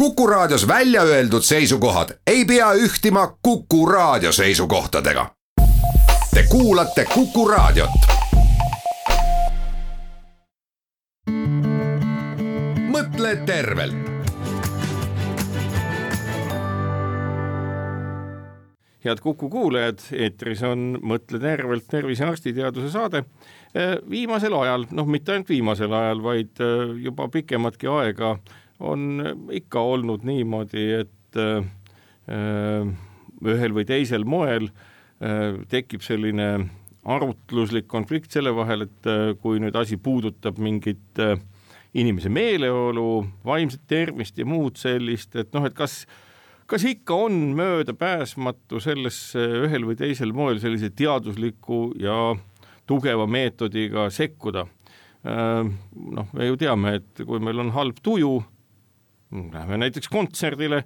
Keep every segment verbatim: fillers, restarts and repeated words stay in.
Kuku Raadios välja öeldud seisukohad ei pea ühtima Kuku Raadio seisukohtadega. Te kuulate Kuku Raadiot. Mõtle tervelt. Head Kuku kuulajad, eetris on Mõtle tervelt tervisearstiteaduse saade. Viimasel ajal, noh mitte ainult viimasel ajal, vaid juba pikematki aega on ikka olnud niimoodi, et ühel või teisel moel tekib selline arutluslik konflikt selle vahel, et kui nüüd asi puudutab mingit inimese meeleolu, vaimset tervist ja muud sellist, et noh, et kas Kas ikka on mööda pääsmatu sellesse ühel või teisel moel sellise teadusliku ja tugeva meetodiga sekkuda? Noh, me ju teame, et kui meil on halb tuju, läheme näiteks kontserdile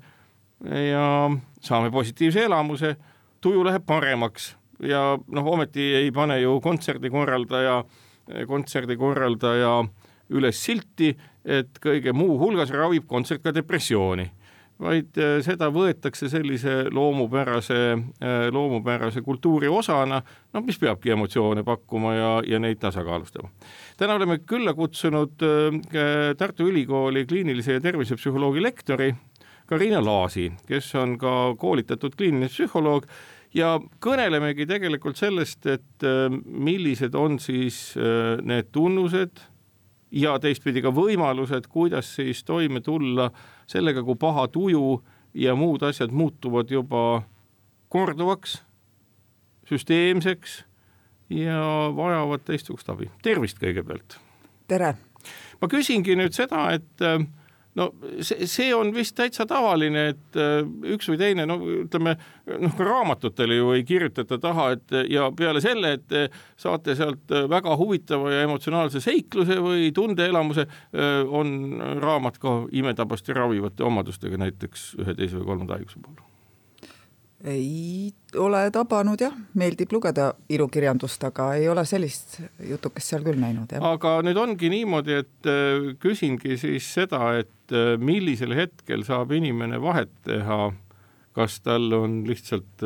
ja saame positiivse elamuse, tuju läheb paremaks ja noh, ometi ei pane ju kontserdikorraldaja, kontserdikorraldaja üles silti, et kõige muu hulgas ravib kontsert ka depressiooni, vaid seda võetakse sellise loomupärase, loomupärase kultuuri osana, no, mis peabki emotsioone pakkuma ja, ja neid tasakaalustama. Täna oleme külla kutsunud Tartu Ülikooli kliinilise ja tervisepsühholoogi lektori Karina Laasi, kes on ka koolitatud kliiniline psühholoog ja kõnelemegi tegelikult sellest, et millised on siis need tunnused ja teistpidi ka võimalused, kuidas siis toime tulla sellega, kui paha tuju ja muud asjad muutuvad juba korduvaks, süsteemseks ja vajavad teistsugust abi. Tervist kõigepealt. Tere. Ma küsingi nüüd seda, et no see, see on vist täitsa tavaline, et üks või teine, no ütleme, noh, ka raamatutele ju ei kirjutata taha, et ja peale selle, et saate sealt väga huvitava ja emotsionaalse seikluse või tundeelamuse, on raamat ka imetabasti ravivate omadustega näiteks ühe teise või kolmanda haiguse puhul. Ei ole tabanud, jah. Meeldib lugeda ilukirjandust, aga ei ole sellist jutukest seal küll näinud. Jah. Aga nüüd ongi niimoodi, et küsingi siis seda, et millisel hetkel saab inimene vahet teha, kas tal on lihtsalt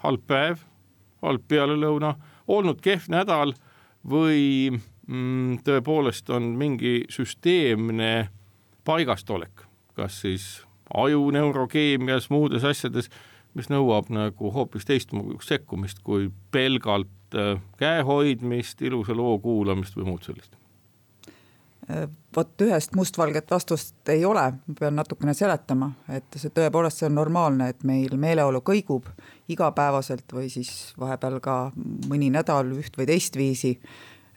halb päev, halb pealelõuna, olnud kehv nädal või mm, tõepoolest on mingi süsteemne paigastolek, kas siis aju neurokeemias, muudes asjades, mis nõuab nagu hoopis teistmoodi sekkumist kui pelgalt käehoidmist, ilusa loo kuulamist või muud sellist. Vot ühest mustvalget vastust ei ole, ma pean natukene seletama, et see tõepoolest see on normaalne, et meil meeleolu kõigub igapäevaselt või siis vahepeal ka mõni nädal üht või teist viisi.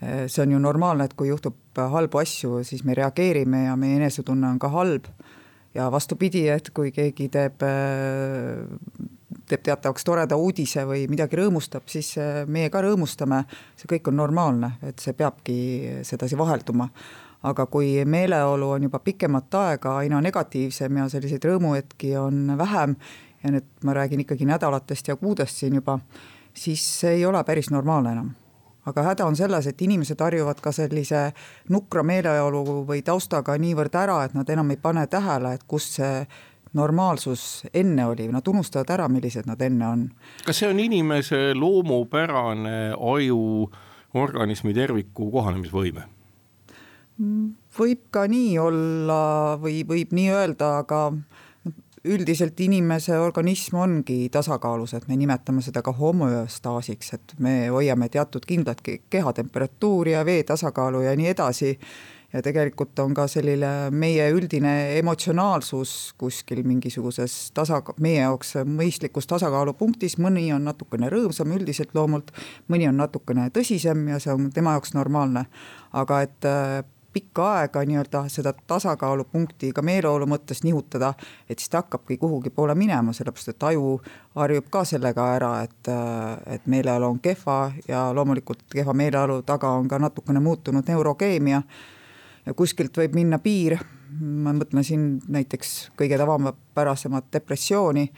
See on ju normaalne, et kui juhtub halbu asju, siis me reageerime ja meie enesetunne on ka halb. Ja vastupidi, et kui keegi teeb, teeb teatavaks toreda uudise või midagi rõõmustab, siis meie ka rõõmustame. See kõik on normaalne, et see peabki sedasi vahelduma. Aga kui meeleolu on juba pikemat aega aina negatiivsem ja selliseid rõõmuhetki on vähem, ja nüüd ma räägin ikkagi nädalatest ja kuudest siin juba, siis see ei ole päris normaalne enam. Aga häda on selles, et inimesed harjuvad ka sellise nukra meeleolu või taustaga niivõrd ära, et nad enam ei pane tähele, et kus see normaalsus enne oli. Nad unustavad ära, millised nad enne on. Kas see on inimese loomupärane aju organismi terviku kohanemisvõime? Võib ka nii olla või võib nii öelda, aga üldiselt inimese organism ongi tasakaalus, et me nimetame seda ka homöostaasiks, et me hoiame teatud kindlat kehatemperatuuri ja vee tasakaalu ja nii edasi. Ja tegelikult on ka selline meie üldine emotsionaalsus kuskil mingisuguses tasaka- meie jaoks mõistlikus tasakaalupunktis. Mõni on natukene rõõmsam üldiselt loomult, mõni on natukene tõsisem ja see on tema jaoks normaalne. Aga et pikka aega nii-öelda seda tasakaalupunkti ka meeleolu mõttes nihutada, et siis ta hakkabki kuhugi poole minema, sellepärast et aju harjub ka sellega ära, et, et meeleolu on kehva ja loomulikult kehva meeleolu taga on ka natukene muutunud neurokeemia ja kuskilt võib minna piir. Ma mõtlen siin näiteks kõige tavapärasemat depressiooni,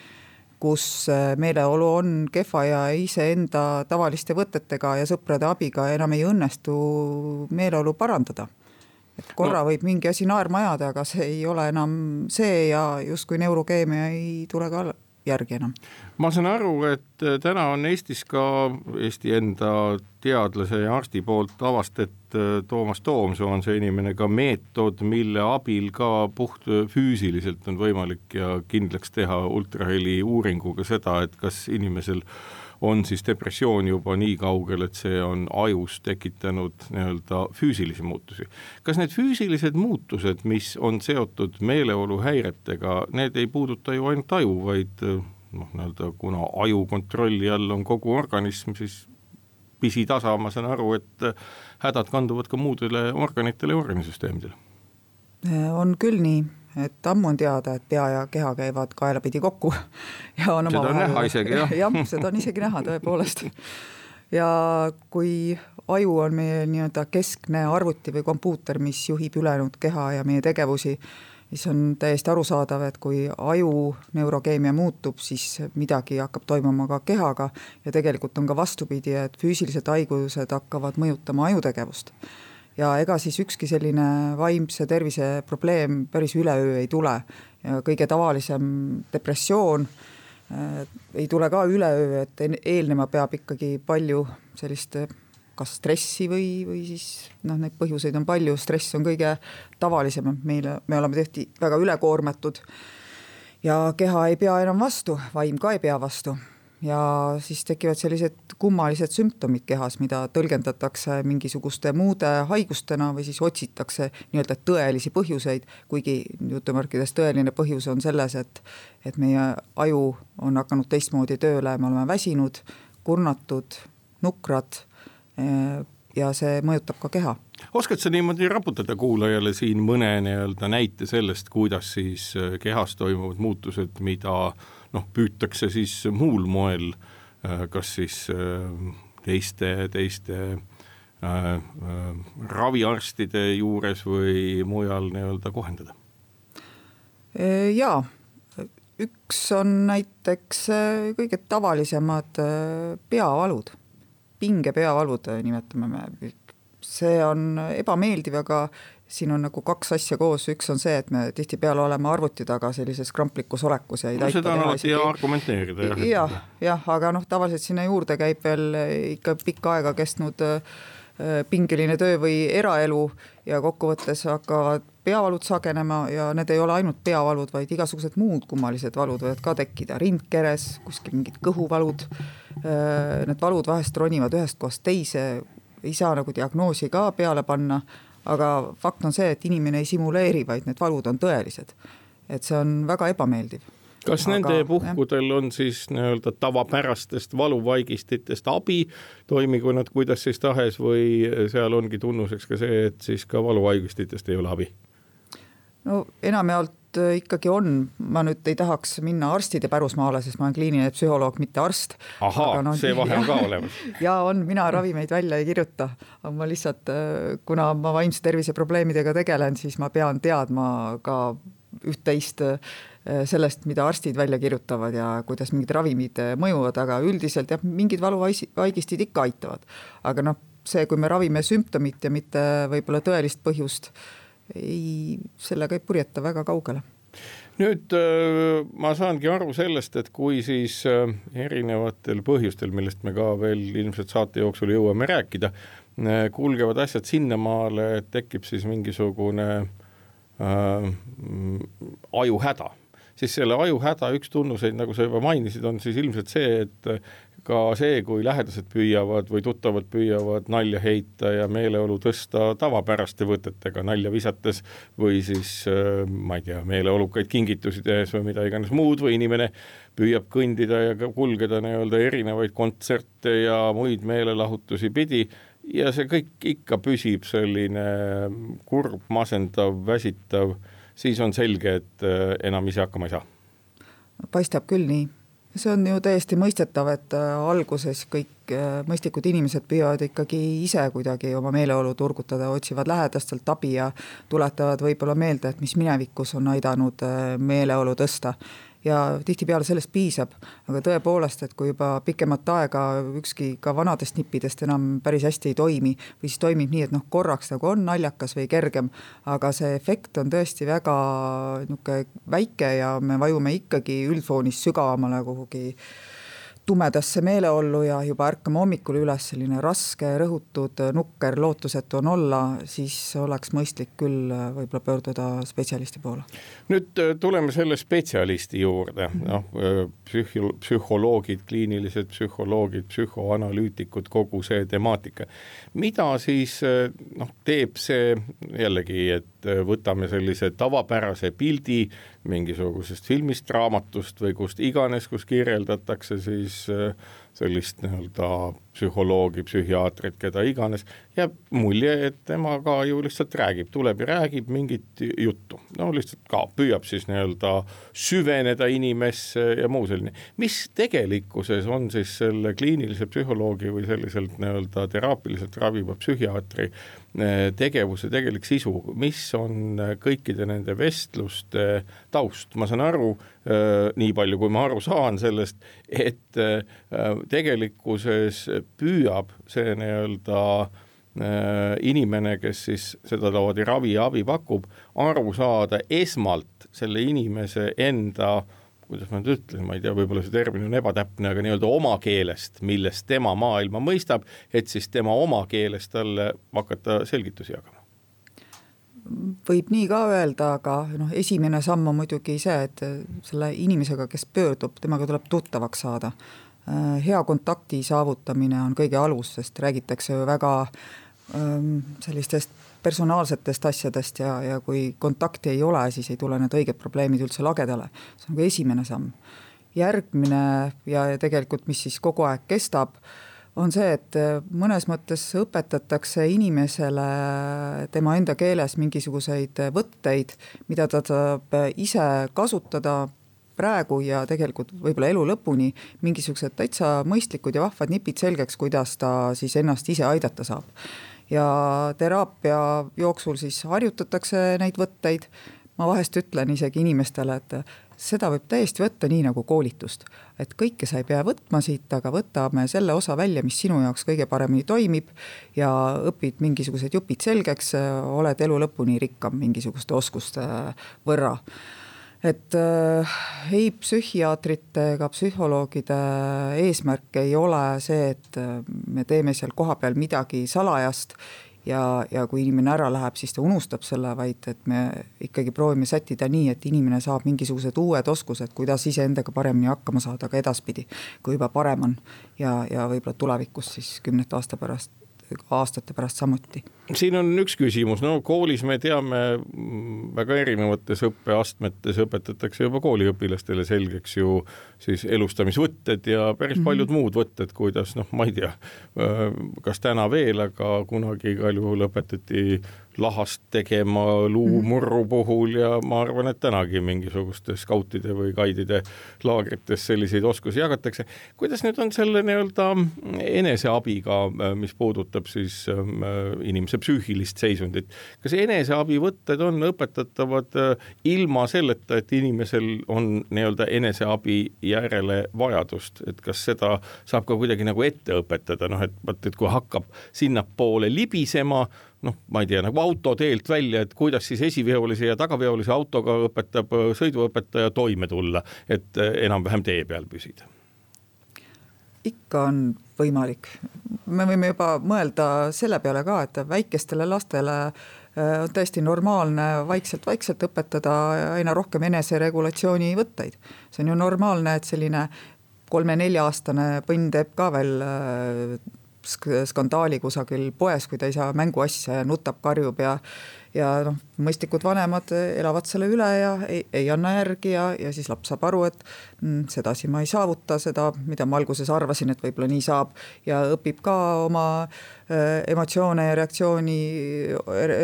kus meeleolu on kehva ja iseenda tavaliste võtetega ja sõprade abiga enam ei õnnestu meeleolu parandada. et korra no. võib mingi asi naerma ajada, aga see ei ole enam see ja justkui neurokeemia ei tule ka järgi enam. Ma saan aru, et täna on Eestis ka Eesti enda teadlase ja arsti poolt avastet Toomas Toomsoo on see inimene ka meetod, mille abil ka puht füüsiliselt on võimalik ja kindlaks teha ultraheli uuringuga seda, et kas inimesel on siis depressioon juba nii kaugel, et see on ajus tekitanud nii-öelda füüsilisi muutusi. Kas need füüsilised muutused, mis on seotud meeleoluhäiretega, need ei puuduta ju ainult aju, vaid noh, nii-öelda, kuna aju kontrolli all on kogu organism, siis pisitasa, ma saan aru, et hädad kanduvad ka muudele organitele ja organisüsteemidele. On küll nii, et ammu on teada, et pea ja keha käivad kaelapidi kokku. Ja on seda on näha isegi, jah. jah, seda on isegi näha tõepoolest. Ja kui aju on meie nii-öelda keskne arvuti või kompuuter, mis juhib ülejäänud keha ja meie tegevusi, siis on täiesti arusaadav, et kui aju neurokeemia muutub, siis midagi hakkab toimuma ka kehaga ja tegelikult on ka vastupidi, et füüsilised haigused hakkavad mõjutama ajutegevust. Ja ega siis ükski selline vaimse tervise probleem päris üleöö ei tule. Ja kõige tavalisem depressioon äh, ei tule ka üleöö, et eelnema peab ikkagi palju sellist kas stressi või, või siis noh, neid põhjuseid on palju, stress on kõige tavalisem, meile, me oleme tehti väga ülekoormatud ja keha ei pea enam vastu, vaim ka ei pea vastu. Ja siis tekivad sellised kummalised sümptomid kehas, mida tõlgendatakse mingisuguste muude haigustena või siis otsitakse nii-öelda tõelisi põhjuseid, kuigi jutumärkides tõeline põhjus on selles, et, et meie aju on hakanud teistmoodi tööle, me oleme väsinud, kurnatud, nukrad ja see mõjutab ka keha. Oskad sa niimoodi raputada kuulajale siin mõne nii-öelda näite sellest, kuidas siis kehas toimuvad muutused, mida noh, püütakse siis muul moel, kas siis teiste, teiste äh, äh, raviarstide juures või mujal nii-öelda kohendada? Jaa, üks on näiteks kõige tavalisemad peavalud. Pinge peavalud nimetame me. See on ebameeldiv, aga siin on nagu kaks asja koos. Üks on see, et me tihti peale oleme arvuti taga sellises kramplikus olekus. Ja no seda on alati ja argumenteerida. Jah, jah, jah, aga noh, tavaliselt sinna juurde käib veel ikka pikka aega kestnud pingeline töö või eraelu ja kokkuvõttes hakkavad peavalud sagenema ja need ei ole ainult peavalud, vaid igasugused muud kummalised valud võivad ka tekkida. Rindkeres, kuskil mingid kõhuvalud. Need valud vahest ronivad ühest kohast teise, ei saa nagu diagnoosi ka peale panna, aga fakt on see, et inimene ei simuleeri, vaid need valud on tõelised. Et see on väga ebameeldiv. Kas aga, nende puhkudel on siis nii-öelda tavapärastest valuvaigistitest abi, toimigu nad kuidas siis tahes või seal ongi tunnuseks ka see, et siis ka valuvaigistitest ei ole abi? No enamjaolt ikkagi on, ma nüüd ei tahaks minna arstide pärusmaale, sest ma olen kliiniline psühholoog, mitte arst. Ahaa, no, see vahe on ka olemas. Ja on, mina ravimeid välja ei kirjuta, aga ma lihtsalt, kuna ma vaimse tervise probleemidega tegelen, siis ma pean teadma ka üht-teist sellest, mida arstid välja kirjutavad ja kuidas mingid ravimid mõjuvad, aga üldiselt jah, mingid valuvaigistid ikka aitavad. Aga noh, see, kui me ravime sümptomit ja mitte võib-olla tõelist põhjust, ei, sellega ei purjeta väga kaugele. Nüüd ma saangi aru sellest, et kui siis erinevatel põhjustel, millest me ka veel ilmselt saate jooksul jõuame rääkida, kulgevad asjad sinnamaale, et tekib siis mingisugune äh, ajuhäda. Siis selle ajuhäda üks tunnuseid, nagu sa juba mainisid, on siis ilmselt see, et ka see, kui lähedased püüavad või tuttavad püüavad nalja heita ja meeleolu tõsta tavapäraste võtetega nalja visates või siis, ma ei tea, meeleolukaid kingitusi tehes või mida iganes muud või inimene püüab kõndida ja kulgeda nii-öelda erinevaid kontserte ja muid meelelahutusi pidi ja see kõik ikka püsib selline kurb, masendav, väsitav, siis on selge, et enam ise hakkama ei saa. Paistab küll nii. See on ju täiesti mõistetav, et alguses kõik mõistlikud inimesed püüavad ikkagi ise kuidagi oma meeleolu turgutada, otsivad lähedastelt abi ja tuletavad võib-olla meelde, et mis minevikus on aidanud meeleolu tõsta. ja tihtipeale sellest piisab, aga tõepoolest, et kui juba pikemat aega ükski ka vanadest nippidest enam päris hästi ei toimi või siis toimib nii, et noh, korraks nagu on naljakas või kergem, aga see efekt on tõesti väga niisugune väike ja me vajume ikkagi üldfoonis sügavamale kuhugi tumedasse meeleollu ja juba ärkame hommikul üles selline raske, rõhutud, nukker, lootusetu on olla, siis oleks mõistlik küll võib-olla pöörduda spetsialisti poole. Nüüd tuleme selle spetsialisti juurde, noh, psühhi- psühholoogid, kliinilised psühholoogid, psühhoanalüütikud, kogu see temaatika. Mida siis noh, teeb see jällegi, et võtame sellise tavapärase pildi mingisugusest filmist, raamatust või kust iganes, kus kirjeldatakse siis sellist nii-öelda psühholoogi, psühhiaatrit, keda iganes, jääb mulje, et tema ka ju lihtsalt räägib, tuleb ja räägib mingit juttu. No lihtsalt ka püüab siis nii-öelda süveneda inimesse ja muu selline. Mis tegelikkuses on siis selle kliinilise psühholoogi või selliselt nii-öelda teraapiliselt raviva psühhiaatri tegevuse tegelik sisu, mis on kõikide nende vestluste taust? Ma saan aru, nii palju kui ma aru saan sellest, et tegelikkuses püüab see nii-öelda inimene, kes siis seda laadi ravi ja abi pakub, aru saada esmalt selle inimese enda, kuidas ma nüüd ütlen, ma ei tea, võib-olla see termin on ebatäpne, aga nii-öelda oma keelest, millest tema maailma mõistab, et siis tema oma keelest talle hakata selgitusi jagama. Võib nii ka öelda, aga noh, esimene samm on muidugi see, et selle inimesega, kes pöördub, temaga tuleb tuttavaks saada. Hea kontakti saavutamine on kõige alus, sest räägitakse ju väga ähm, sellistest personaalsetest asjadest ja, ja kui kontakti ei ole, siis ei tule need õiged probleemid üldse lagedale. See on nagu esimene samm. Järgmine ja tegelikult, mis siis kogu aeg kestab, on see, et mõnes mõttes õpetatakse inimesele tema enda keeles mingisuguseid võtteid, mida ta saab ise kasutada praegu ja tegelikult võib-olla elu lõpuni mingisugused täitsa mõistlikud ja vahvad nipid selgeks, kuidas ta siis ennast ise aidata saab. Ja teraapia jooksul siis harjutatakse neid võtteid. Ma vahest ütlen isegi inimestele, et seda võib täiesti võtta nii nagu koolitust. Et kõike sa ei pea võtma siit, aga võtame selle osa välja, mis sinu jaoks kõige paremini toimib ja õpid mingisugused jupid selgeks, oled elu lõpuni rikkam mingisuguste oskuste võrra. Et äh, ei psühhiaatrite ega psühholoogide eesmärk ei ole see, et me teeme seal kohapeal midagi salajast ja, ja kui inimene ära läheb, siis ta unustab selle, vaid et me ikkagi proovime sättida nii, et inimene saab mingisugused uued oskused, kuidas ise endaga paremini hakkama saada ka edaspidi, kui juba parem on ja, ja võib-olla tulevikus siis kümnet aasta pärast aastate pärast samuti. Siin on üks küsimus, no koolis me teame väga erinevates õppeastmetes õpetatakse juba kooliõpilastele selgeks ju siis elustamisvõtted ja päris mm-hmm. paljud muud võtted, kuidas noh, ma ei tea, kas täna veel, aga kunagi igal juhul õpetati lahast tegema luumurru puhul ja ma arvan, et tänagi mingisugustes skautide või gaidide laagrites selliseid oskusi jagatakse. Kuidas nüüd on selle nii-öelda eneseabiga, mis puudutab siis inimese psüühilist seisundit? Kas eneseabivõtted on õpetatavad ilma selleta, et inimesel on nii-öelda eneseabi järele vajadust? Et kas seda saab ka kuidagi nagu ette õpetada? Noh, et, et kui hakkab sinna poole libisema, noh, ma ei tea, nagu autoteelt välja, et kuidas siis esiveolise ja tagaveolise autoga õpetab sõiduõpetaja toime tulla, et enam-vähem tee peal püsida? Ikka on võimalik. Me võime juba mõelda selle peale ka, et väikestele lastele on täiesti normaalne vaikselt-vaikselt õpetada aina rohkem eneseregulatsiooni võtteid. See on ju normaalne, et selline kolme-nelja aastane põnn teeb ka veel skandaali kusagil poes, kui ta ei saa mänguasja ja nutab, karjub ja, ja noh, mõistlikud vanemad elavad selle üle ja ei, ei anna järgi ja, ja siis laps saab aru, et mm, sedasi ma ei saavuta seda, mida ma alguses arvasin, et võib-olla nii saab ja õpib ka oma äh, emotsioone ja reaktsiooni,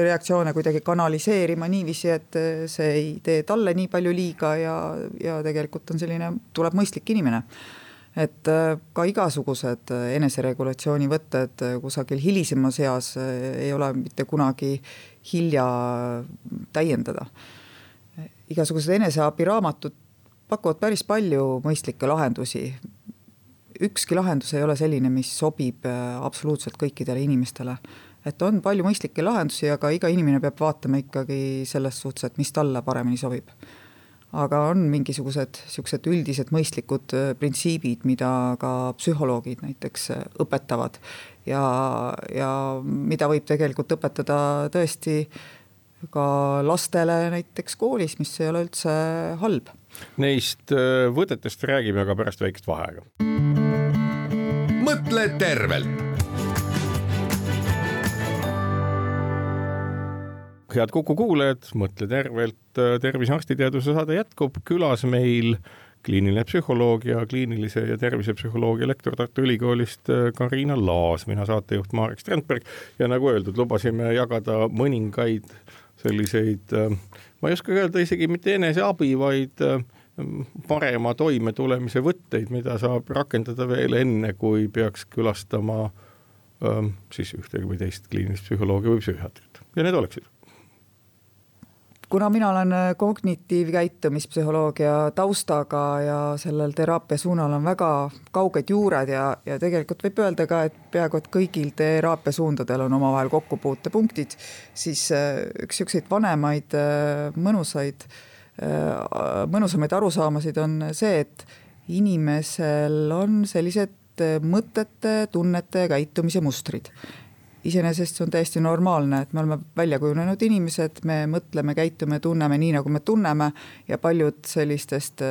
reaktsioone kuidagi kanaliseerima niiviisi, et see ei tee talle nii palju liiga ja, ja tegelikult on selline, tuleb mõistlik inimene. Et ka igasugused eneseregulatsiooni võtted kusagil hilisemas eas ei ole mitte kunagi hilja täiendada. Igasugused eneseabiraamatud pakuvad päris palju mõistlikke lahendusi. Ükski lahendus ei ole selline, mis sobib absoluutselt kõikidele inimestele. Et on palju mõistlikke lahendusi, aga iga inimene peab vaatama ikkagi selles suhtes, et mis talle paremini sobib. Aga on mingisugused siuksed üldised mõistlikud printsiibid, mida ka psühholoogid näiteks õpetavad ja, ja mida võib tegelikult õpetada tõesti ka lastele näiteks koolis, mis ei ole üldse halb. Neist võtetest räägime aga pärast väikest vaheaega. Mõtle tervelt. Head Kuku kuulajad, mõtle tervelt, tervisearstiteaduse saade jätkub. Külas meil kliiniline psühholoog ja kliinilise ja tervisepsühholoogia lektor Tartu Ülikoolist Kariina Laas, mina saatejuht Marek Strandberg ja nagu öeldud, lubasime jagada mõningaid selliseid, ma ei oska öelda isegi mitte eneseabi, vaid parema toime tulemise võtteid, mida saab rakendada veel enne, kui peaks külastama siis ühte või teist kliinilist psühholoogia või psühhiaatrit. Ja need oleksid. Kuna mina olen kognitiivkäitumispsühholoogia taustaga ja sellel teraapia suunal on väga kauged juured ja, ja tegelikult võib öelda ka, et peaaegu et kõigil teraapia suundadel on omavahel kokkupuutepunktid, siis üks siukseid vanemaid mõnusaid, mõnusamaid arusaamasid on see, et inimesel on sellised mõtete, tunnete ja käitumise mustrid. Iseenesest see on täiesti normaalne, et me oleme välja kujunenud inimesed, me mõtleme, käitume, tunneme nii, nagu me tunneme ja paljud sellistest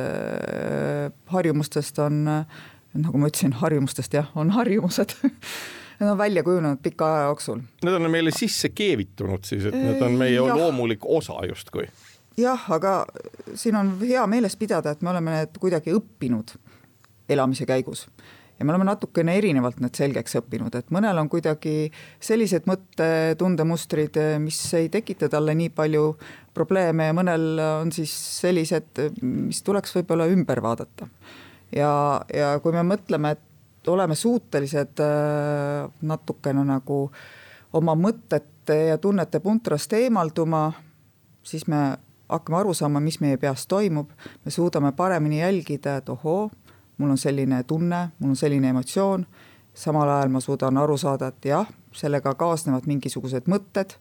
harjumustest on, nagu ma ütlesin, harjumustest jah, on harjumused. Need on välja kujunenud pika aja jooksul. Need on meile sisse keevitunud siis, et need on meie ja. loomulik osa justkui. Jah, aga siin on hea meeles pidada, et me oleme need kuidagi õppinud elamise käigus. Ja me oleme natukene erinevalt need selgeks õppinud, et mõnel on kuidagi sellised mõtte tundemustrid, mis ei tekita talle nii palju probleeme ja mõnel on siis sellised, mis tuleks võib-olla ümber vaadata. Ja, ja kui me mõtleme, et oleme suutelised natukene nagu oma mõtete ja tunnete puntrast eemalduma, siis me hakkame aru saama, mis meie peas toimub, me suudame paremini jälgida, et ohoo, mul on selline tunne, mul on selline emotsioon, samal ajal ma suudan aru saada, et jah, sellega kaasnevad mingisugused mõtted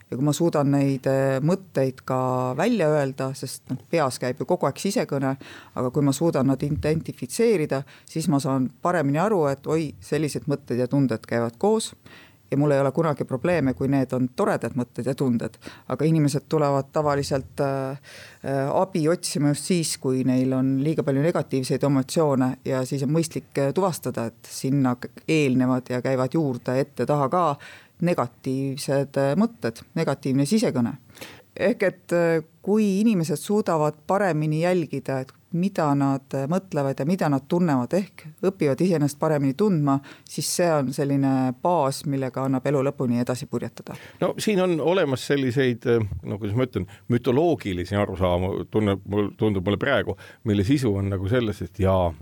ja kui ma suudan neid mõtteid ka välja öelda, sest peas käib ju kogu aeg sisekõne, aga kui ma suudan nad identifitseerida, siis ma saan paremini aru, et oi, sellised mõtted ja tunded käivad koos ja mul ei ole kunagi probleeme, kui need on toredad mõtted ja tunded, aga inimesed tulevad tavaliselt äh, abi otsima just siis, kui neil on liiga palju negatiivseid emotsioone ja siis on mõistlik tuvastada, et sinna eelnevad ja käivad juurde ette taha ka negatiivsed mõtted, negatiivne sisekõne. Ehk et kui inimesed suudavad paremini jälgida, et mida nad mõtlevad ja mida nad tunnevad, ehk õpivad iseennast paremini tundma, siis see on selline baas, millega annab elu lõpuni edasi purjetada. No siin on olemas selliseid, no kuidas ma ütlen, mütoloogilisi arusaama, tunneb, tundub mulle praegu, mille sisu on nagu selles, et jaa,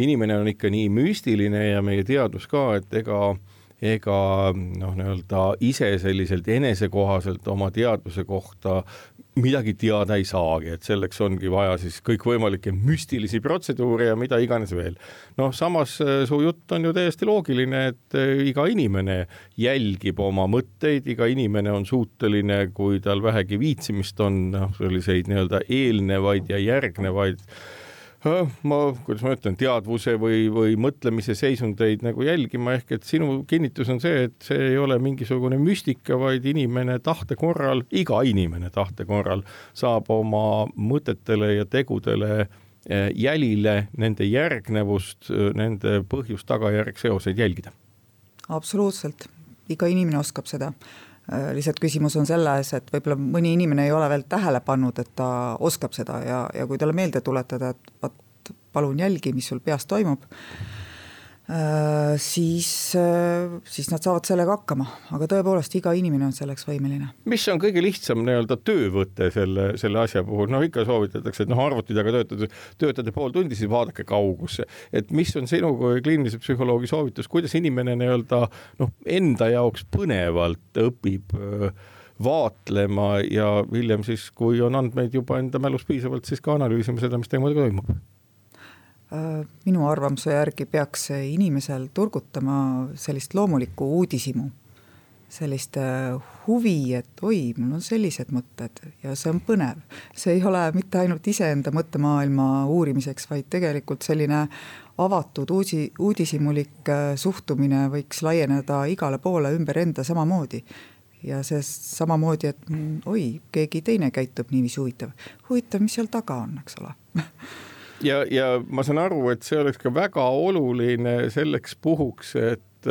inimene on ikka nii müstiline ja meie teadus ka, et ega ega noh, nii-öelda ise selliselt enesekohaselt oma teadvuse kohta midagi teada ei saagi, et selleks ongi vaja siis kõikvõimalikke müstilisi protseduure ja mida iganes veel. Noh, samas su jutt on ju täiesti loogiline, et iga inimene jälgib oma mõtteid, iga inimene on suuteline, kui tal vähegi viitsimist on, noh, selliseid nii-öelda eelnevaid ja järgnevaid ma, kuidas ma ütlen, teadvuse või, või mõtlemise seisundeid nagu jälgima, ehk et sinu kinnitus on see, et see ei ole mingisugune müstika, vaid inimene tahte korral, iga inimene tahte korral saab oma mõtetele ja tegudele jälile, nende järgnevust, nende põhjust, tagajärg, seoseid jälgida. Absoluutselt, iga inimene oskab seda. Lihtsalt küsimus on selles, et võib-olla mõni inimene ei ole veel tähele pannud, et ta oskab seda ja, ja kui talle meelde tuletada, et vaat, palun jälgi, mis sul peas toimub, siis, siis nad saavad sellega hakkama, aga tõepoolest iga inimene on selleks võimeline. Mis on kõige lihtsam nii-öelda töövõte selle, selle asja puhul? No ikka soovitatakse, et noh, arvuti taga töötada, töötada pool tundi, siis vaadake kaugusse. Et mis on sinu kui kliinilise psühholoogi soovitus, kuidas inimene nii-öelda noh, enda jaoks põnevalt õpib vaatlema ja hiljem siis, kui on andmeid juba enda mälus piisavalt, siis ka analüüsima seda, mis teemadega toimub. Minu arvamuse järgi peaks inimesel turgutama sellist loomulikku uudisimu, sellist huvi, et oi, mul on sellised mõtted ja see on põnev. See ei ole mitte ainult iseenda mõttemaailma uurimiseks, vaid tegelikult selline avatud uusi, uudisimulik suhtumine võiks laieneda igale poole ümber enda samamoodi. Ja see samamoodi, et oi, keegi teine käitub niiviisi huvitav. Huvitav, mis seal taga on, eks ole? Ja, ja ma saan aru, et see oleks ka väga oluline selleks puhuks, et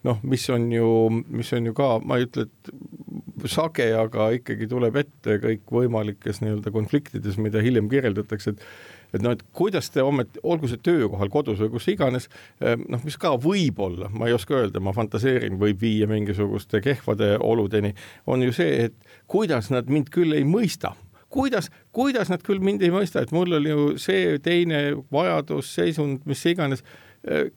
noh, mis on ju, mis on ju ka, ma ei ütle, et sage, aga ikkagi tuleb ette kõik võimalikes nii-öelda konfliktides, mida hiljem kirjeldatakse, et et noh, et kuidas te ometi, olgu see töökohal, kodus või kus iganes, noh, mis ka võib olla, ma ei oska öelda, ma fantaseerin, võib viia mingisuguste kehvade oludeni, on ju see, et kuidas nad mind küll ei mõista. Kuidas, kuidas nad küll mind ei mõista, et mul oli ju see teine vajadus, seisund, mis iganes.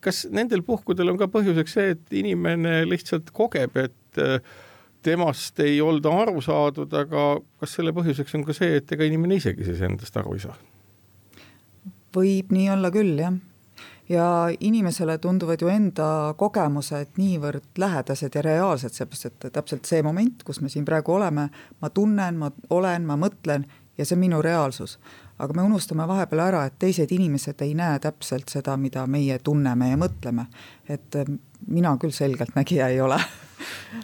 Kas nendel puhkudel on ka põhjuseks see, et inimene lihtsalt kogeb, et temast ei olda aru saadud, aga kas selle põhjuseks on ka see, et ega inimene isegi siis endast aru ei saa? Võib nii olla küll, jah. Ja inimesele tunduvad ju enda kogemused niivõrd lähedased ja reaalsed, seepärast, et täpselt see moment, kus me siin praegu oleme, ma tunnen, ma olen, ma mõtlen ja see on minu reaalsus. Aga me unustame vahepeal ära, et teised inimesed ei näe täpselt seda, mida meie tunneme ja mõtleme. Et mina küll selgelt nägija ei ole.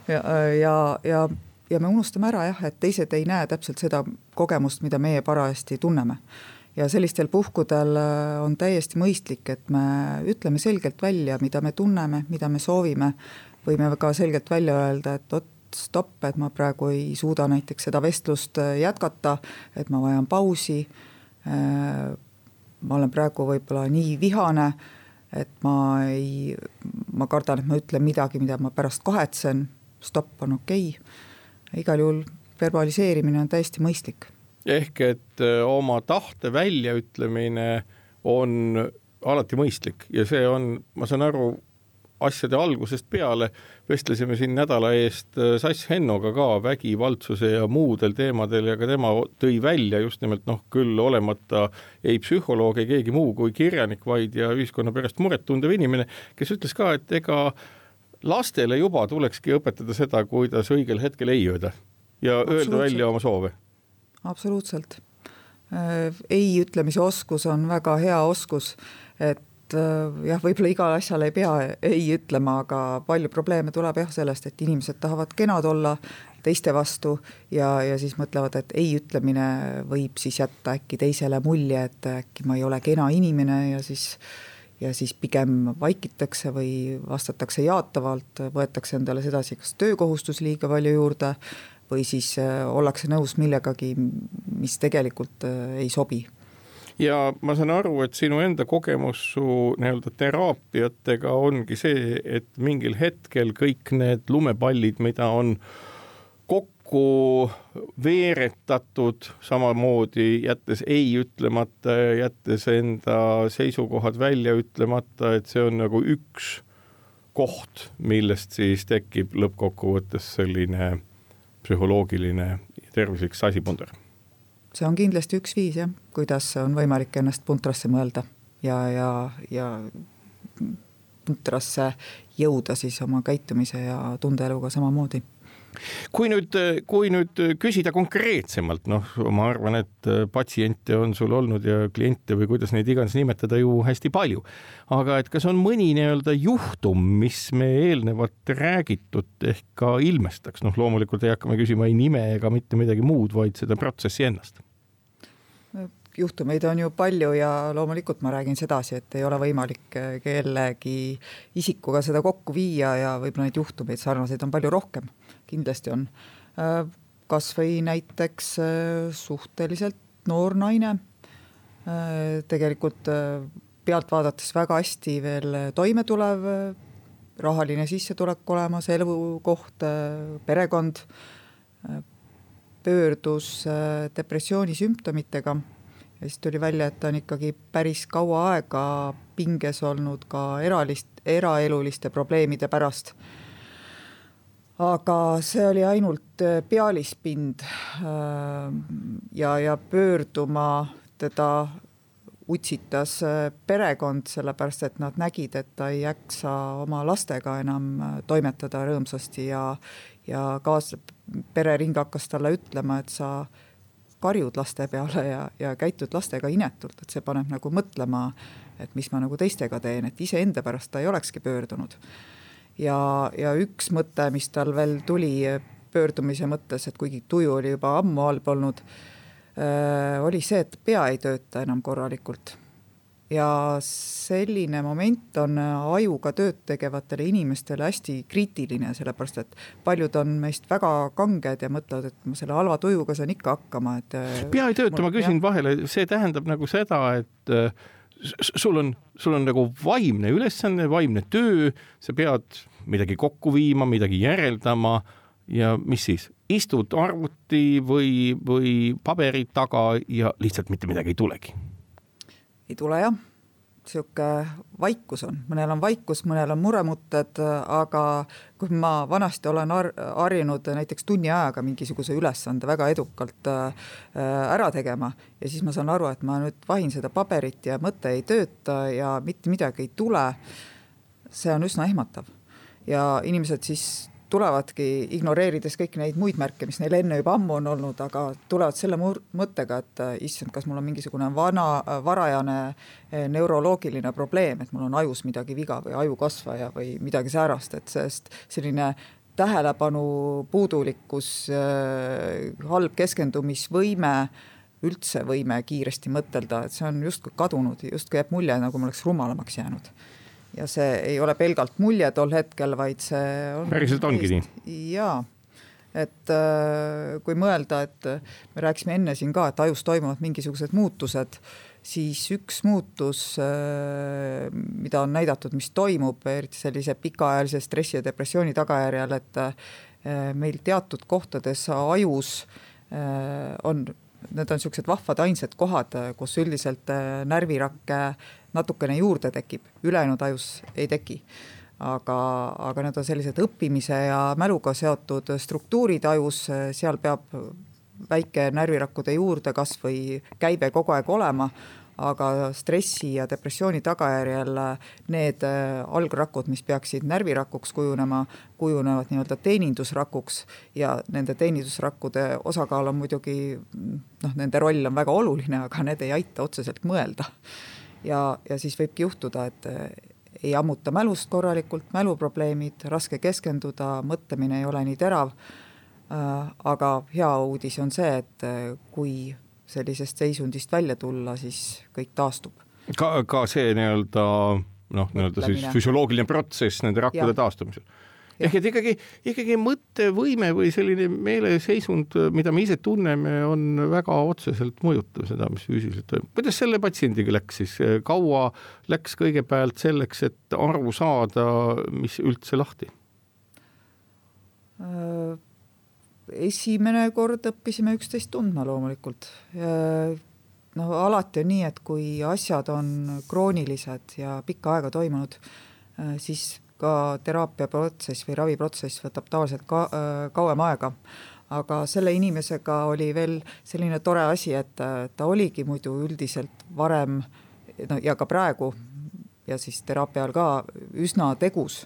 ja, ja, ja, ja me unustame ära, jah, et teised ei näe täpselt seda kogemust, mida meie parajasti tunneme. Ja sellistel puhkudel on täiesti mõistlik, et me ütleme selgelt välja, mida me tunneme, mida me soovime. Võime ka selgelt välja öelda, et ot, stopp, et ma praegu ei suuda näiteks seda vestlust jätkata, et ma vajan pausi. Ma olen praegu võib-olla nii vihane, et ma, ei, ma kardan, et ma ütlen midagi, mida ma pärast kahetsen. Stopp on okei. Igal juhul verbaliseerimine on täiesti mõistlik. Ehk et oma tahte väljaütlemine on alati mõistlik ja see on, ma saan aru, asjade algusest peale, vestlesime siin nädala eest Sass Hennoga ka vägivaldsuse ja muudel teemadel ja ka tema tõi välja just nimelt noh, küll olemata ei psühholoog, ei keegi muu kui kirjanik, vaid ja ühiskonna pärast muret tundev inimene, kes ütles ka, et ega lastele juba tulekski õpetada seda, kuidas õigel hetkel ei öelda ja öelda välja oma soove. Absoluutselt. Ei ütlemise oskus on väga hea oskus, et jah, võib-olla igal asjal ei pea ei ütlema, aga palju probleeme tuleb jah sellest, et inimesed tahavad kenad olla teiste vastu ja, ja siis mõtlevad, et ei ütlemine võib siis jätta äkki teisele mulje, et äkki ma ei ole kena inimene ja siis, ja siis pigem vaikitakse või vastatakse jaatavalt, võetakse endale sedasi kas töökohustus liiga palju juurde või siis ollakse nõus millegagi, mis tegelikult ei sobi. Ja ma saan aru, et sinu enda kogemus su nii-öelda teraapiatega ongi see, et mingil hetkel kõik need lumepallid, mida on kokku veeretatud samamoodi, jättes ei ütlemata, jättes enda seisukohad välja ütlemata, et see on nagu üks koht, millest siis tekib lõppkokkuvõttes selline psühholoogiline ja tervislik sasipunder. See on kindlasti üks viis, jah, kuidas on võimalik ennast puntrasse mõelda ja, ja, ja puntrasse jõuda siis oma käitumise ja tundeeluga samamoodi. Kui nüüd, kui nüüd küsida konkreetsemalt, noh, ma arvan, et patsiente on sul olnud ja kliente või kuidas neid iganes nimetada ju hästi palju. Aga et kas on mõni nii-öelda juhtum, mis me eelnevalt räägitud ehk ka ilmestaks? Noh, loomulikult ei hakkame küsima ei nime ega mitte midagi muud, vaid seda protsessi ennast. Juhtumeid on ju palju ja loomulikult ma räägin sedasi, et ei ole võimalik kellegi isikuga seda kokku viia ja võib-olla neid juhtumeid sarnaseid on palju rohkem. Kindlasti on. Kas või näiteks suhteliselt noor naine, tegelikult pealt vaadates väga hästi veel toime tulev, rahaline sissetulek olemas, elukoht, perekond, pöördus depressiooni sümptomitega ja siis tuli välja, et ta on ikkagi päris kaua aega pinges olnud ka eralist, eraeluliste probleemide pärast. aga see oli ainult pealispind ja, ja pöörduma teda utsitas perekond, sellepärast et nad nägid, et ta ei jaksa oma lastega enam toimetada rõõmsasti ja, ja kaas, perering hakkas talle ütlema, et sa karjud laste peale ja, ja käitud lastega inetult, et see paneb nagu mõtlema, et mis ma nagu teistega teen, et ise enda pärast ta ei olekski pöördunud. Ja, ja üks mõte, mis tal veel tuli pöördumise mõttes, et kuigi tuju oli juba ammu halb olnud, oli see, et pea ei tööta enam korralikult. Ja selline moment on ajuga tööd tegevatele inimestele hästi kriitiline, sellepärast et paljud on meist väga kanged ja mõtlevad, et ma selle halva tujuga saan ikka hakkama. Et pea ei tööta, ma küsin vahele, see tähendab nagu seda, et sul on, sul on nagu vaimne ülesanne, vaimne töö, sa pead midagi kokku viima, midagi järeldama ja mis siis? Istud arvuti või, või paberi taga ja lihtsalt mitte midagi ei tulegi? Ei tule jah. Siuke vaikus on. Mõnel on vaikus, mõnel on muremutted, aga kui ma vanasti olen harjunud näiteks tunni ajaga mingisuguse ülesande väga edukalt ära tegema ja siis ma saan aru, et ma nüüd vahin seda paberit ja mõte ei tööta ja mitte midagi ei tule, see on üsna ehmatav. Ja inimesed siis tulevadki ignoreerides kõik neid muid märke, mis neil enne juba ammu on olnud, aga tulevad selle mõttega, et issand, kas mul on mingisugune vana, varajane neuroloogiline probleem, et mul on ajus midagi viga või ajukasvaja või midagi säärast, et sest selline tähelepanu puudulikkus, halb keskendumisvõime, üldse võime kiiresti mõtelda, et see on justkui kadunud, justkui jääb mulje, nagu ma oleks rumalamaks jäänud. Ja see ei ole pelgalt mulje tol hetkel, vaid see on... Päriselt ongi nii? Jaa, et kui mõelda, et me rääkisime enne siin ka, et ajus toimuvad mingisugused muutused, siis üks muutus, mida on näidatud, mis toimub, eriti sellise pikaajalise stressi ja depressiooni tagajärjel, et meil teatud kohtades ajus on, need on sellised vahvad ainsad kohad, kus üldiselt närvirakke natukene juurde tekib, ülejäänud ajus ei teki. Aga, aga need on sellised õppimise ja mäluga seotud struktuurid ajus, seal peab väike närvirakkude juurde kas või käibe kogu aeg olema, aga stressi ja depressiooni tagajärjel need algrakud, mis peaksid närvirakuks kujunema, kujunevad nii-öelda teenindusrakuks ja nende teenindusrakkude osakaal on muidugi, noh, nende roll on väga oluline, aga need ei aita otseselt mõelda. Ja, ja siis võibki juhtuda, et ei ammuta mälust korralikult, mäluprobleemid, raske keskenduda, mõtlemine ei ole nii terav, aga hea uudis on see, et kui sellisest seisundist välja tulla, siis kõik taastub. Ka, ka see nii-öelda, noh, nii-öelda siis füsioloogiline protsess nende rakkude taastumisel. Ehk et ikkagi, ikkagi mõttevõime või selline meeleseisund, mida me ise tunneme, on väga otseselt mõjutav seda, mis füüsiliselt toimub. Kuidas selle patsiendiga läks siis? Kaua läks kõigepealt selleks, et aru saada, mis üldse lahti? Esimene kord õppisime üksteist tundma loomulikult. No, alati on nii, et kui asjad on kroonilised ja pikka aega toimunud, siis ka teraapiaprotsess või raviprotsess võtab tavaliselt ka, kauem aega. Aga selle inimesega oli veel selline tore asi, et ta oligi muidu üldiselt varem no, ja ka praegu ja siis teraapial ka üsna tegus.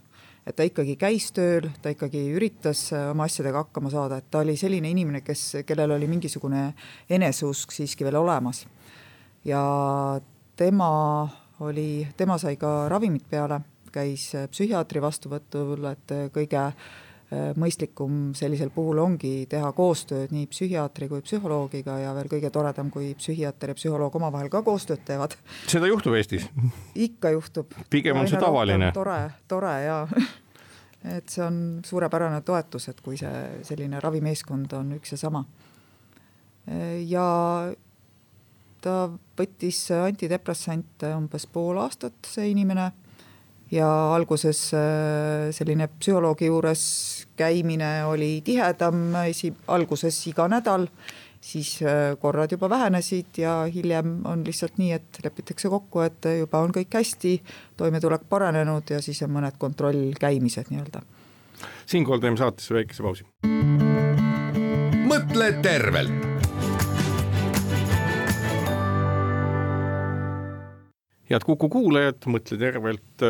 Et ta ikkagi käis tööl, ta ikkagi üritas oma asjadega hakkama saada, et ta oli selline inimene, kes, kellel oli mingisugune eneseusk siiski veel olemas. Ja tema, oli, tema sai ka ravimit peale, käis psühhiaatri vastuvõtul, et kõige mõistlikum sellisel puhul ongi teha koostööd nii psühhiaatri kui psühholoogiga ja veel kõige toredam, kui psühhiaater ja psühholoog omavahel ka koostööd teevad. Seda juhtub Eestis? Ikka juhtub. Pigem on see tavaline. Tore, tore ja et see on suurepärane toetus, et kui see selline ravimeeskond on üks ja sama. Ja ta võttis antidepressante umbes pool aastat, see inimene, ja alguses selline psühholoogi juures käimine oli tihedam, alguses iga nädal, siis korrad juba vähenesid ja hiljem on lihtsalt nii, et lepitakse kokku, et juba on kõik hästi, toimetulek paranenud ja siis on mõned kontrollkäimised nii-öelda. Siinkohal teeme saatesse väikese pausi. Mõtle tervelt. Head Kuku kuulajad, Mõtle tervelt,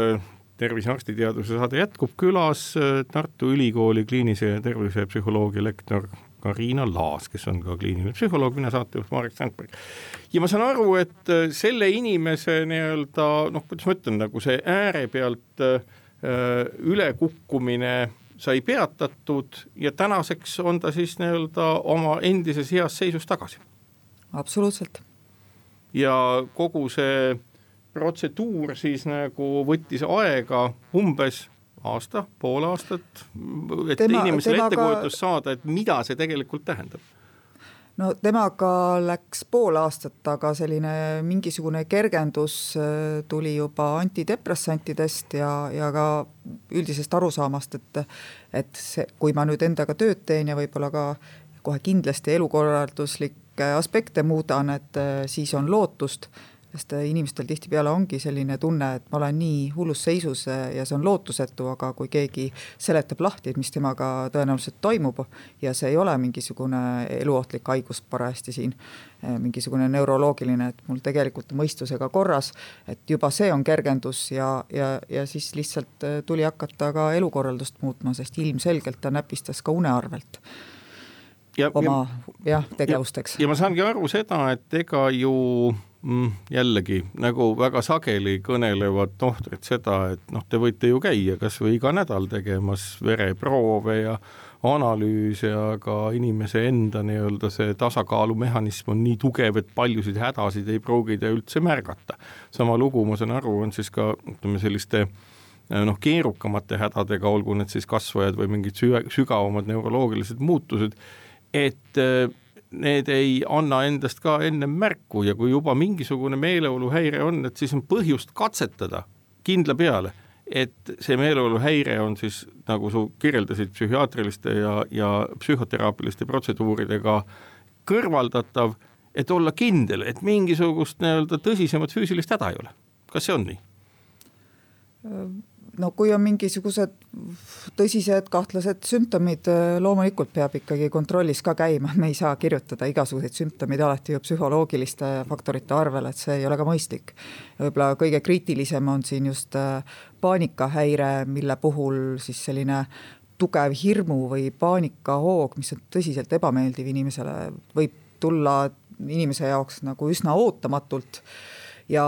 tervisearstiteaduse saade jätkub, külas Tartu Ülikooli kliinise ja tervisepsühholoogia lektor Kariina Laas, kes on ka kliiniline psühholoog, mina saatejuht Marek Sandberg. Ja ma saan aru, et selle inimese nii-öelda, noh, kuidas ma ütlen, nagu see ääre pealt ülekukkumine sai peatatud ja tänaseks on ta siis nii-öelda oma endises heas seisus tagasi. Absoluutselt. Ja kogu see protseduur siis nagu võttis aega umbes aasta, pool aastat, et tema, inimesele temaga... ettekujutus saada, et mida see tegelikult tähendab. No temaga läks pool aastat, aga selline mingisugune kergendus tuli juba antidepressantidest ja, ja ka üldisest arusaamast, et, et see, kui ma nüüd endaga tööd teen ja võib-olla ka kohe kindlasti elukorralduslikke aspekte muudan, et siis on lootust, sest inimestel tihtipeale ongi selline tunne, et ma olen nii hullus seisus ja see on lootusetu, aga kui keegi seletab lahti, et mis temaga tõenäoliselt toimub ja see ei ole mingisugune eluohtlik haigus parajasti siin, mingisugune neuroloogiline, et mul tegelikult mõistusega korras, et juba see on kergendus ja, ja, ja siis lihtsalt tuli hakata ka elukorraldust muutma, sest ilmselgelt ta näpistas ka une arvelt. Ja, oma ja, jah, tegevusteks. Ja, ja ma saangi aru seda, et ega ju mm, jällegi nagu väga sageli kõnelevad tohtrid seda, et noh, te võite ju käia kas või iga nädal tegemas vereproove ja analüüse, aga inimese enda nii-öelda see tasakaalumehhanism on nii tugev, et paljusid hädasid ei pruugida üldse märgata. Sama lugu, ma saan aru, on siis ka ütleme, selliste noh, keerukamate hädadega, olgu need siis kasvajad või mingid sügavamad neuroloogilised muutused, et need ei anna endast ka enne märku ja kui juba mingisugune meeleoluhäire on, et siis on põhjust katsetada kindla peale, et see meeleoluhäire on siis, nagu su kirjeldasid, psühhiaatriliste ja, ja psühhoteraapiliste protseduuridega kõrvaldatav, et olla kindel, et mingisugust nii-öelda tõsisemat füüsilist häda ei ole. Kas see on nii? No kui on mingisugused tõsised kahtlased sümptomid, loomulikult peab ikkagi kontrollis ka käima, me ei saa kirjutada igasuguseid sümptomid alati ju psühholoogiliste faktorite arvel, et see ei ole ka mõistlik. Võib-olla kõige kriitilisem on siin just paanikahäire, mille puhul siis selline tugev hirmu või paanikahoog, mis on tõsiselt ebameeldiv inimesele, võib tulla inimese jaoks nagu üsna ootamatult ja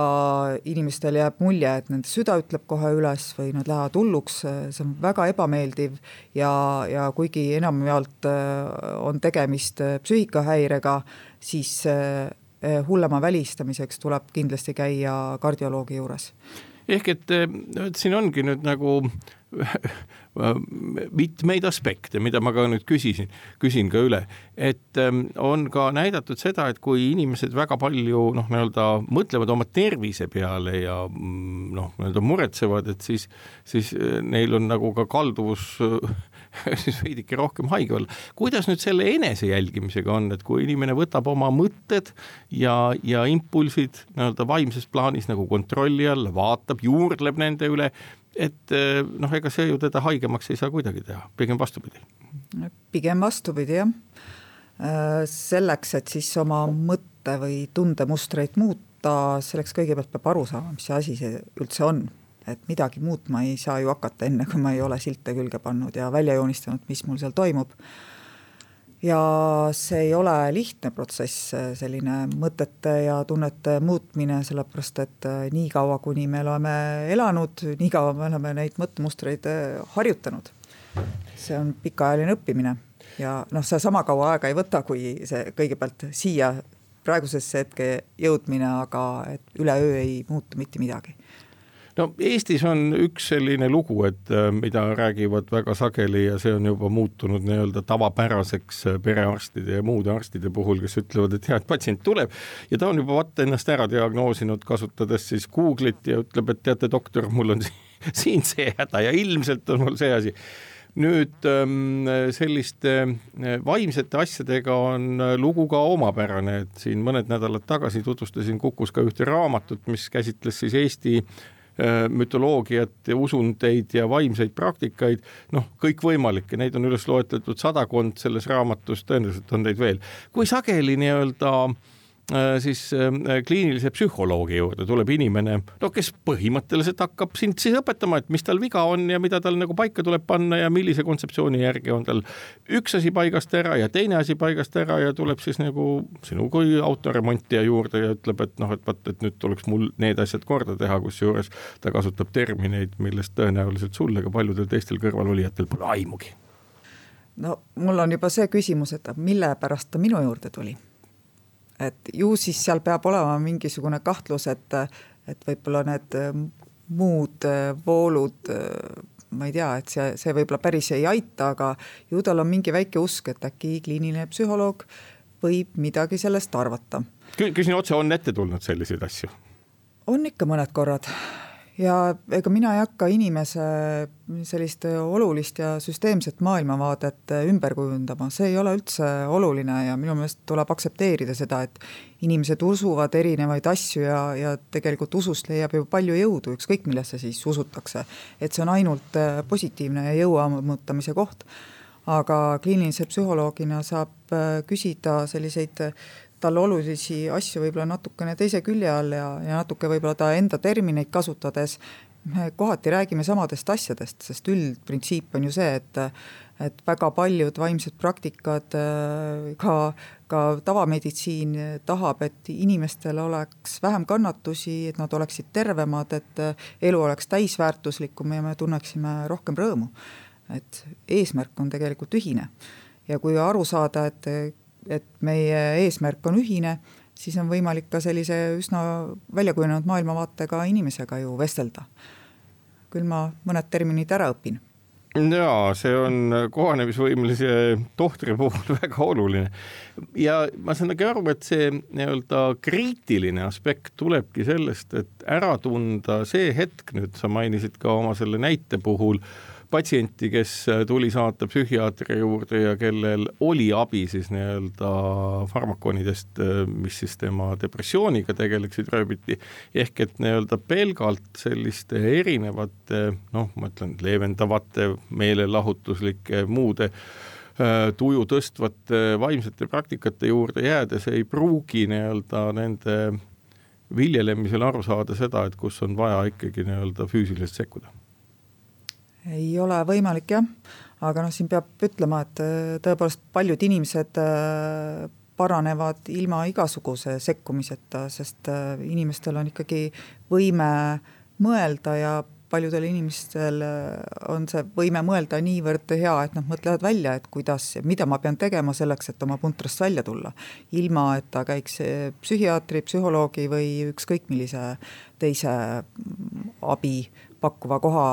inimestel jääb mulje, et nende süda ütleb kohe üles või nad lähevad hulluks, see on väga ebameeldiv ja, ja kuigi enamjaolt on tegemist psüühikahäirega, siis hullema välistamiseks tuleb kindlasti käia kardioloogi juures. Ehk et siin ongi nüüd nagu mitmeid aspekte, mida ma ka nüüd küsisin, küsin ka üle, et on ka näidatud seda, et kui inimesed väga palju noh, nii-öelda mõtlevad oma tervise peale ja noh, nii-öelda muretsevad, et siis, siis neil on nagu ka kalduvus siis veidike rohkem haige olla. Kuidas nüüd selle enese jälgimisega on, et kui inimene võtab oma mõtted ja, ja impulsid nii-öelda vaimses plaanis nagu kontrolli alla, vaatab, juurdleb nende üle, et noh, ega see ju teda haigemaks ei saa kuidagi teha, pigem vastupidi. Pigem vastupidi, jah. Selleks, et siis oma mõtte või tundemustreid muuta, selleks kõigepealt peab aru saama, mis see asi see üldse on. Et midagi muutma ei saa ju hakata enne, kui ma ei ole silte külge pannud ja välja joonistanud, mis mul seal toimub. Ja see ei ole lihtne protsess, selline mõtete ja tunnete muutmine, sellepärast et nii kaua, kuni me oleme elanud, nii kaua me oleme neid mõttemustreid harjutanud. See on pikaajaline õppimine ja noh, see sama kaua aega ei võta, kui see kõigepealt siia praegusesse hetke jõudmine, aga et üleöö ei muutu mitte midagi. No Eestis on üks selline lugu, et mida räägivad väga sageli ja see on juba muutunud nii-öelda tavapäraseks perearstide ja muude arstide puhul, kes ütlevad, et hea, et patsient tuleb ja ta on juba vaata ennast ära diagnoosinud, kasutades siis Google'it ja ütleb, et teate doktor, mul on siin see häda ja ilmselt on mul see asi. Nüüd selliste vaimsete asjadega on lugu ka omapärane, et siin mõned nädalad tagasi tutvustasin Kukus ka ühte raamatut, mis käsitles siis Eesti mütoloogiat ja usundeid ja vaimseid praktikaid, noh, kõik võimalikke, neid on üles loetletud sadakond selles raamatus, tõenäoliselt on neid veel. Kui sageli nii-öelda siis kliinilise psühholoogi juurde tuleb inimene, no kes põhimõtteliselt hakkab sind siis õpetama, et mis tal viga on ja mida tal nagu paika tuleb panna ja millise kontseptsiooni järgi on tal üks asi paigast ära ja teine asi paigast ära ja tuleb siis nagu sinu kui autoremontija juurde ja ütleb, et noh, et vaat, et nüüd tuleks mul need asjad korda teha, kus juures ta kasutab termineid, millest tõenäoliselt sul ega paljudel teistel kõrvalolijatel pole aimugi. No mul on juba see küsimus, et mille pärast ta minu juurde tuli. Et ju siis seal peab olema mingisugune kahtlus, et, et võib-olla need muud voolud, ma ei tea, et see, see võib-olla päris ei aita, aga ju tal on mingi väike usk, et äkki kliiniline psühholoog võib midagi sellest arvata. Küsin otse, on ette tulnud selliseid asju? On ikka mõned korrad. Ja ega mina ei hakka inimese sellist olulist ja süsteemset maailmavaadet ümber kujundama. See ei ole üldse oluline ja minu meelest tuleb aksepteerida seda, et inimesed usuvad erinevaid asju ja, ja tegelikult usust leiab ju palju jõudu, ükskõik millesse siis usutakse. Et see on ainult positiivne ja jõuamõõtamise koht. Aga kliinilise psühholoogina saab küsida selliseid tal olulisi asju võib-olla natukene teise külje all ja, ja natuke võib-olla ta enda termineid kasutades me kohati räägime samadest asjadest, sest üldprintsiip on ju see, et, et väga paljud vaimsed praktikad, ka, ka tavameditsiin tahab, et inimestel oleks vähem kannatusi, et nad oleksid tervemad, et elu oleks täisväärtuslikum ja me tunneksime rohkem rõõmu. Et eesmärk on tegelikult ühine ja kui aru saada, et et meie eesmärk on ühine, siis on võimalik ka sellise üsna väljakujunenud maailmavaatega inimesega ju vestelda. Küll ma mõned terminid ära õpin. Jaa, see on kohanemisvõimelise tohtri puhul väga oluline. Ja ma saan aru, et see nii-öelda kriitiline aspekt tulebki sellest, et ära tunda see hetk, nüüd sa mainisid ka oma selle näite puhul, patsienti, kes tuli saata psühhiaatri juurde ja kellel oli abi siis nii-öelda farmakonidest, mis siis tema depressiooniga tegeleksid rööbiti, ehk et nii-öelda pelgalt selliste erinevate, noh, ma ütlen, leevendavate, meelelahutuslike, muude tuju tõstvate vaimsete praktikate juurde jäädes ei pruugi nii-öelda nende viljelemisel aru saada seda, et kus on vaja ikkagi nii-öelda füüsiliselt sekkuda. Ei ole võimalik, jah, aga no siin peab ütlema, et tõepoolest paljud inimesed paranevad ilma igasuguse sekkumiseta, sest inimestel on ikkagi võime mõelda ja paljudel inimestel on see võime mõelda niivõrd hea, et nad mõtlevad välja, et kuidas, mida ma pean tegema selleks, et oma puntrast välja tulla. Ilma, et ta käiks psühhiaatri, psühholoogi või ükskõik millise teise abi pakkuva koha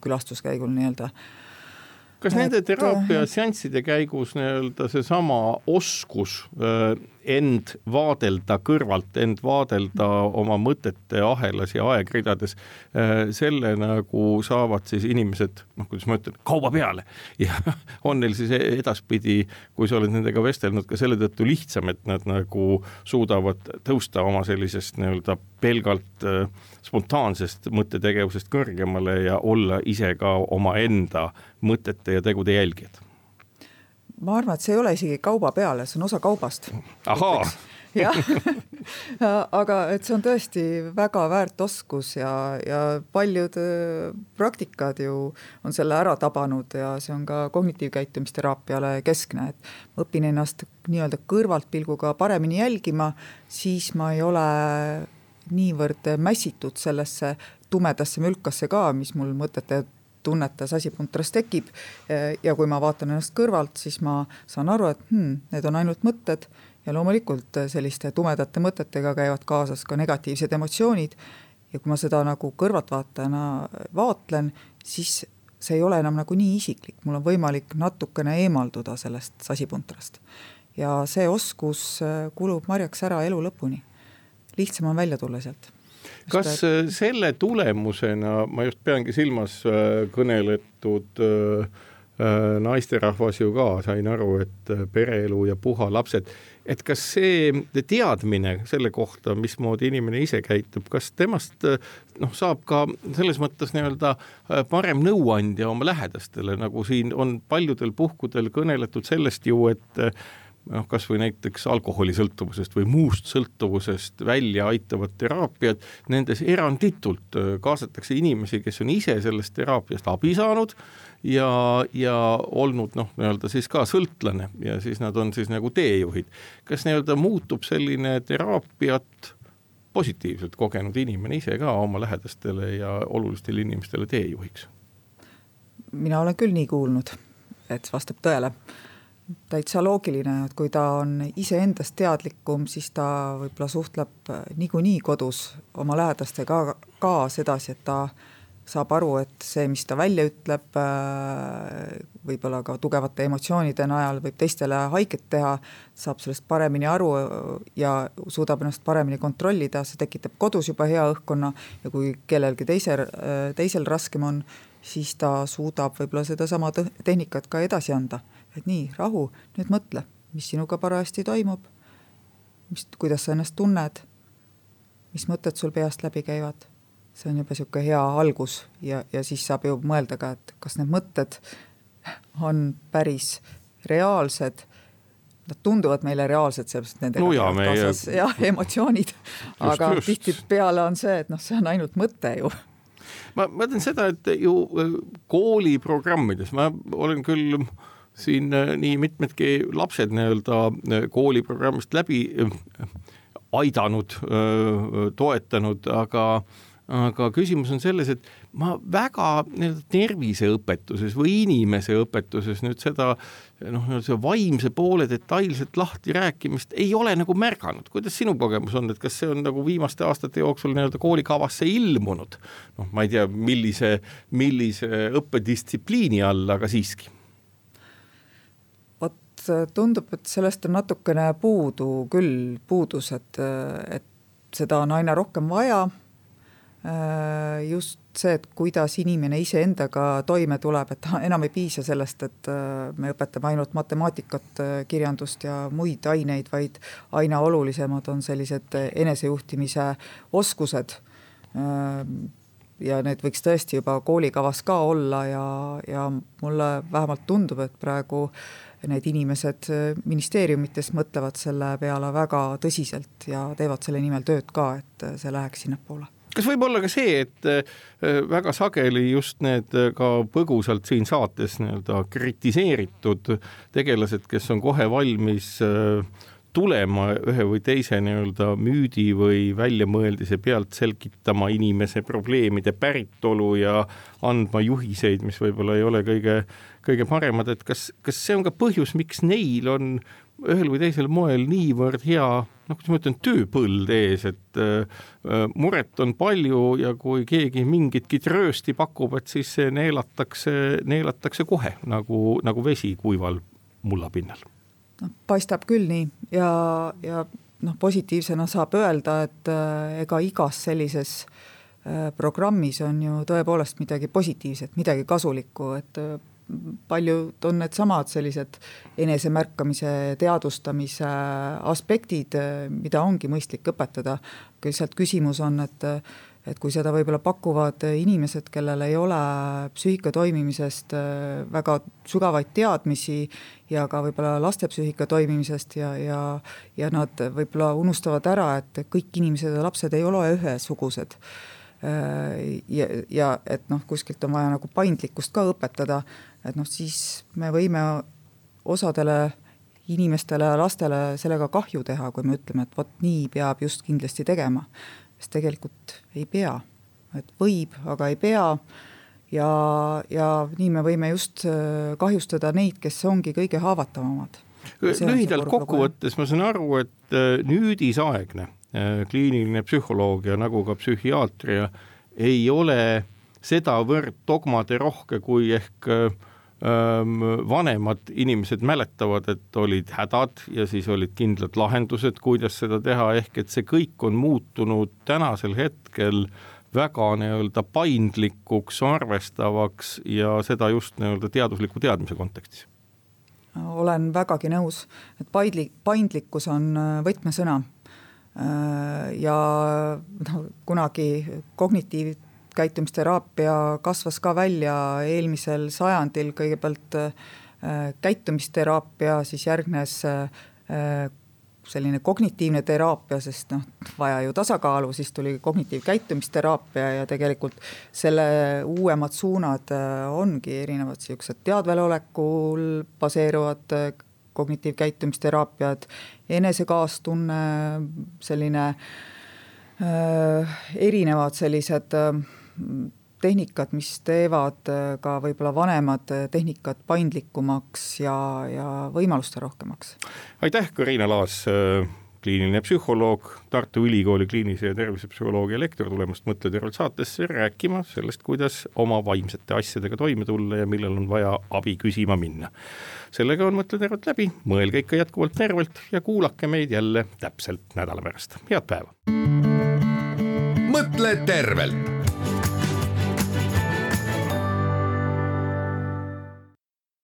külastuskäigul nii-öelda. Kas nende teraapia seansside käigus nii-öelda see sama oskus end vaadelda kõrvalt, end vaadelda oma mõtete ahelas ja aegridades, selle nagu saavad siis inimesed, noh, kuidas ma ütlen, kauba peale ja on neil siis edaspidi, kui sa oled nendega vestelnud, ka selle tõttu lihtsam, et nad nagu suudavad tõusta oma sellisest nii-öelda pelgalt spontaansest mõttetegevusest kõrgemale ja olla ise ka oma enda mõtete ja tegude jälgijad. Ma arvan, et see ei ole isegi kauba peale, see on osa kaubast. Ahaa! jah, aga et see on tõesti väga väärt oskus ja, ja paljud praktikad ju on selle ära tabanud ja see on ka kognitiivkäitumisteraapiale keskne, et ma õpin ennast nii-öelda kõrvaltpilguga paremini jälgima, siis ma ei ole niivõrd mässitud sellesse tumedasse mülkasse ka, mis mul mõtete tunnetas asipuntrast tekib ja kui ma vaatan ennast kõrvalt, siis ma saan aru, et hmm, need on ainult mõtted ja loomulikult selliste tumedate mõtetega käivad kaasas ka negatiivsed emotsioonid ja kui ma seda nagu kõrvaltvaatajana vaatlen, siis see ei ole enam nagu nii isiklik, mul on võimalik natukene eemalduda sellest asipuntrast ja see oskus kulub marjaks ära elu lõpuni. Lihtsam on välja tulla sealt. Kas selle tulemusena, ma just peangi silmas kõneletud naisterahvas ju ka, sain aru, et pereelu ja puha lapsed, et kas see teadmine selle kohta, mismoodi inimene ise käitub, kas temast noh, saab ka selles mõttes nii-öelda parem nõuandja oma lähedastele, nagu siin on paljudel puhkudel kõneletud sellest ju, et noh, kas või näiteks alkoholisõltuvusest või muust sõltuvusest välja aitavad teraapiad, nendes eranditult kaasatakse inimesi, kes on ise sellest teraapiast abi saanud ja, ja olnud noh, nii-öelda siis ka sõltlane ja siis nad on siis nagu teejuhid. Kas nii-öelda muutub selline teraapiat positiivselt kogenud inimene ise ka oma lähedastele ja olulistele inimestele teejuhiks? Mina olen küll nii kuulnud, et vastab tõele. Täitsa loogiline, et kui ta on ise endast teadlikum, siis ta võib-olla suhtleb niikuinii kodus oma lähedastega ka, ka sedasi, et ta saab aru, et see, mis ta välja ütleb, võib-olla ka tugevate emotsioonide najal võib teistele haiget teha, saab sellest paremini aru ja suudab ennast paremini kontrollida, see tekitab kodus juba hea õhkkonna ja kui kellelgi teisel, teisel raskem on, siis ta suudab võib-olla seda sama tehnikat ka edasi anda. Et nii, rahu, nüüd mõtle, mis sinuga parajasti toimub, mis, kuidas sa ennast tunned, mis mõtted sul peast läbi käivad. See on juba siuke hea algus ja, ja siis saab ju mõelda ka, et kas need mõtted on päris reaalsed. Nad tunduvad meile reaalsed, sellepärast nendega no ja, kaasas meie... ja emotsioonid, just, aga just. Tihti peale on see, et noh, see on ainult mõte ju. Ma mõtlen seda, et ju kooliprogrammides, ma olen küll siin nii mitmedki lapsed nii-öelda kooliprogrammist läbi aidanud, toetanud, aga aga küsimus on selles, et ma väga terviseõpetuses või inimese õpetuses nüüd seda noh, see vaimse poole detailselt lahti rääkimist ei ole nagu märganud. Kuidas sinu kogemus on, et kas see on nagu viimaste aastate jooksul nii-öelda koolikavasse ilmunud? Noh, ma ei tea, millise, millise õppedistsipliini all, aga siiski. Vot tundub, et sellest on natukene puudu küll puudus, et, et seda on aina rohkem vaja. Just see, et kuidas inimene ise endaga toime tuleb, et enam ei piisa sellest, et me õpetame ainult matemaatikat, kirjandust ja muid aineid, vaid aina olulisemad on sellised enesejuhtimise oskused ja need võiks tõesti juba koolikavas ka olla ja, ja mulle vähemalt tundub, et praegu need inimesed ministeeriumites mõtlevad selle peale väga tõsiselt ja teevad selle nimel tööd ka, et see läheks sinna poole. Kas võib olla ka see, et väga sageli just need ka põgusalt siin saates nii-öelda kritiseeritud tegelased, kes on kohe valmis tulema ühe või teise nii-öelda müüdi või väljamõeldise pealt selgitama inimese probleemide päritolu ja andma juhiseid, mis võib-olla ei ole kõige, kõige paremad, et kas, kas see on ka põhjus, miks neil on ühel või teisel moel niivõrd hea, noh, kuidas ma ütlen, tööpõld ees, et äh, muret on palju ja kui keegi mingitki tröösti pakub, et siis see neelatakse, neelatakse kohe nagu, nagu vesi kuival mullapinnal. No, paistab küll nii ja, ja noh, positiivsena saab öelda, et äh, ega igas sellises äh, programmis on ju tõepoolest midagi positiivset, midagi kasulikku, et äh, paljud on need samad sellised enesemärkamise, teadvustamise aspektid, mida ongi mõistlik õpetada. Lihtsalt küsimus on, et, et kui seda võib-olla pakuvad inimesed, kellel ei ole psüühika toimimisest väga sügavaid teadmisi ja ka võib-olla laste psüühika toimimisest ja, ja, ja nad võib-olla unustavad ära, et kõik inimesed ja lapsed ei ole ühesugused. Ja, ja et noh, kuskilt on vaja nagu paindlikkust ka õpetada, et noh, siis me võime osadele inimestele ja lastele sellega kahju teha, kui me ütleme, et vot nii peab just kindlasti tegema, sest tegelikult ei pea, et võib, aga ei pea ja, ja nii me võime just kahjustada neid, kes ongi kõige haavatavamad. Lühidalt kokkuvõttes ma saan aru, et nüüdisaegne kliiniline psühholoogia nagu ka psühhiaatria ei ole sedavõrd dogmade rohke, kui ehk ähm, vanemad inimesed mäletavad, et olid hädad ja siis olid kindlad lahendused, kuidas seda teha, ehk et see kõik on muutunud tänasel hetkel väga nii-öelda paindlikuks, arvestavaks ja seda just nii-öelda teadusliku teadmise kontekstis. olen vägagi nõus, et paindlik, paindlikkus on võtmesõna ja no, kunagi kognitiivkäitumisteraapia kasvas ka välja eelmisel sajandil, kõigepealt käitumisteraapia, siis järgnes selline kognitiivne teraapia, sest noh, vaja ju tasakaalu, siis tuli kognitiivkäitumisteraapia ja tegelikult selle uuemad suunad ongi erinevad siuksed teadvelolekul baseeruvad kognitiivkäitumisteraapiad, enesekaastunne, selline äh, erinevad sellised äh, tehnikad, mis teevad ka võib-olla vanemad tehnikad paindlikumaks ja, ja võimaluste rohkemaks. Aitäh, Kariina Laas, kliiniline psühholoog, Tartu Ülikooli kliinilise ja tervisepsühholoogia lektor, tulemast Mõtle tervelt saatesse rääkima sellest, kuidas oma vaimsete asjadega toime tulla ja millal on vaja abi küsima minna. Sellega on Mõtle tervelt läbi, mõelge ikka jätkuvalt tervelt ja kuulake meid jälle täpselt nädala pärast. Head päeva! Mõtle tervelt!